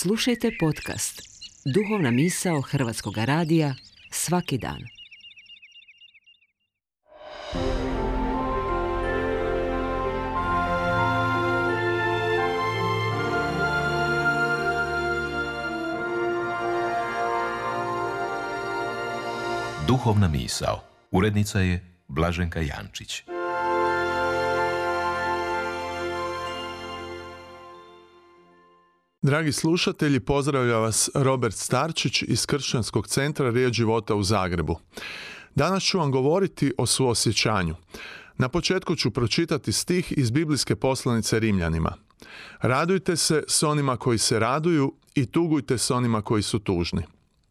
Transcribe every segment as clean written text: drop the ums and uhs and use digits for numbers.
Slušajte podcast Duhovna misao Hrvatskog radija svaki dan. Duhovna misao. Urednica je Blaženka Jančić. Dragi slušatelji, pozdravlja vas Robert Starčić iz Kršćanskog centra Riječ života u Zagrebu. Danas ću vam govoriti o suosjećanju. Na početku ću pročitati stih iz biblijske poslanice Rimljanima. Radujte se s onima koji se raduju i tugujte s onima koji su tužni.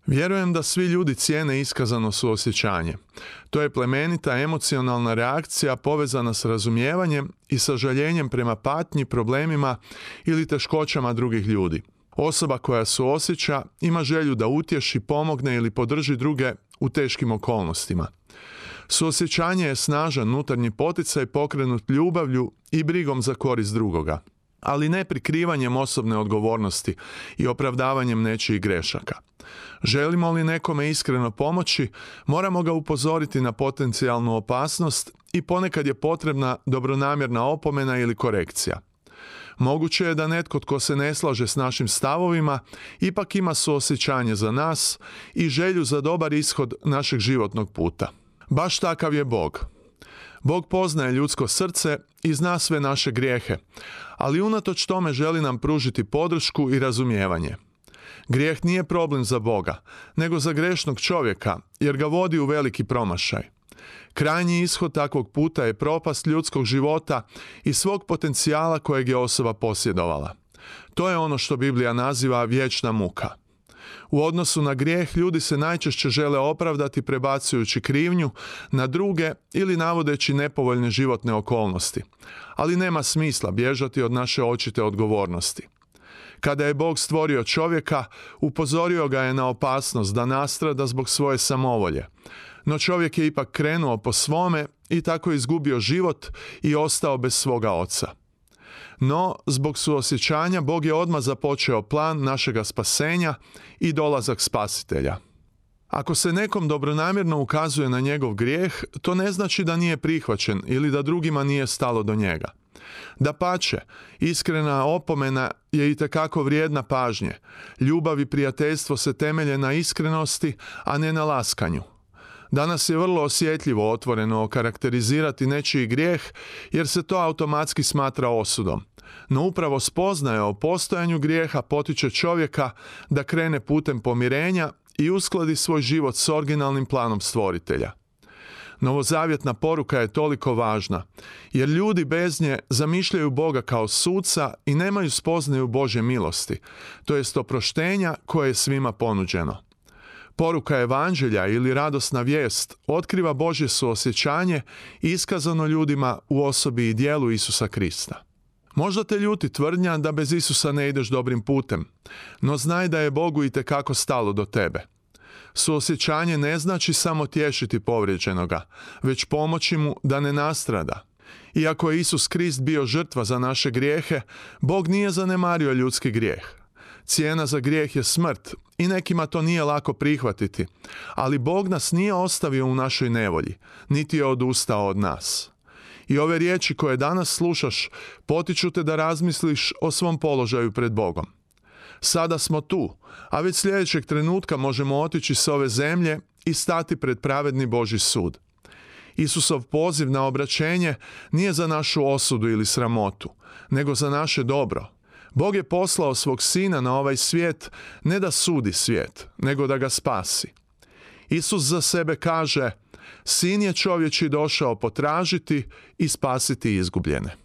Vjerujem da svi ljudi cijene iskazano suosjećanje. To je plemenita emocionalna reakcija povezana s razumijevanjem i sažaljenjem prema patnji, problemima ili teškoćama drugih ljudi. Osoba koja suosjeća ima želju da utješi, pomogne ili podrži druge u teškim okolnostima. Suosjećanje je snažan unutarnji poticaj pokrenut ljubavlju i brigom za korist drugoga, ali ne prikrivanjem osobne odgovornosti i opravdavanjem nečijih grešaka. Želimo li nekome iskreno pomoći, moramo ga upozoriti na potencijalnu opasnost i ponekad je potrebna dobronamjerna opomena ili korekcija. Moguće je da netko tko se ne slaže s našim stavovima ipak ima suosjećanje za nas i želju za dobar ishod našeg životnog puta. Baš takav je Bog. Bog poznaje ljudsko srce i zna sve naše grijehe, ali unatoč tome želi nam pružiti podršku i razumijevanje. Grijeh nije problem za Boga, nego za grešnog čovjeka, jer ga vodi u veliki promašaj. Krajnji ishod takvog puta je propast ljudskog života i svog potencijala kojeg je osoba posjedovala. To je ono što Biblija naziva vječna muka. U odnosu na grijeh ljudi se najčešće žele opravdati prebacujući krivnju na druge ili navodeći nepovoljne životne okolnosti. Ali nema smisla bježati od naše očite odgovornosti. Kada je Bog stvorio čovjeka, upozorio ga je na opasnost da nastrada zbog svoje samovolje. No čovjek je ipak krenuo po svome i tako izgubio život i ostao bez svoga oca. No, zbog suosjećanja Bog je odmah započeo plan našega spasenja i dolazak spasitelja. Ako se nekom dobronamjerno ukazuje na njegov grijeh, to ne znači da nije prihvaćen ili da drugima nije stalo do njega. Dapače, iskrena opomena je itekako vrijedna pažnje. Ljubav i prijateljstvo se temelje na iskrenosti, a ne na laskanju. Danas je vrlo osjetljivo otvoreno okarakterizirati nečiji grijeh, jer se to automatski smatra osudom. No upravo spoznaja o postojanju grijeha potiče čovjeka da krene putem pomirenja i uskladi svoj život s originalnim planom stvoritelja. Novozavjetna poruka je toliko važna, jer ljudi bez nje zamišljaju Boga kao suca i nemaju spoznaju Božje milosti, to jest oproštenja koje je svima ponuđeno. Poruka evanđelja ili radosna vijest otkriva Božje suosjećanje iskazano ljudima u osobi i djelu Isusa Krista. Možda te ljuti tvrdnja da bez Isusa ne ideš dobrim putem, no znaj da je Bogu itekako stalo do tebe. Suosjećanje ne znači samo tješiti povrijeđenoga, već pomoći mu da ne nastrada. Iako je Isus Krist bio žrtva za naše grijehe, Bog nije zanemario ljudski grijeh. Cijena za grijeh je smrt i nekima to nije lako prihvatiti, ali Bog nas nije ostavio u našoj nevolji, niti je odustao od nas. I ove riječi koje danas slušaš potiču te da razmisliš o svom položaju pred Bogom. Sada smo tu, a već sljedećeg trenutka možemo otići s ove zemlje i stati pred pravedni Božji sud. Isusov poziv na obraćenje nije za našu osudu ili sramotu, nego za naše dobro. Bog je poslao svog sina na ovaj svijet ne da sudi svijet, nego da ga spasi. Isus za sebe kaže: Sin je čovječji došao potražiti i spasiti izgubljene.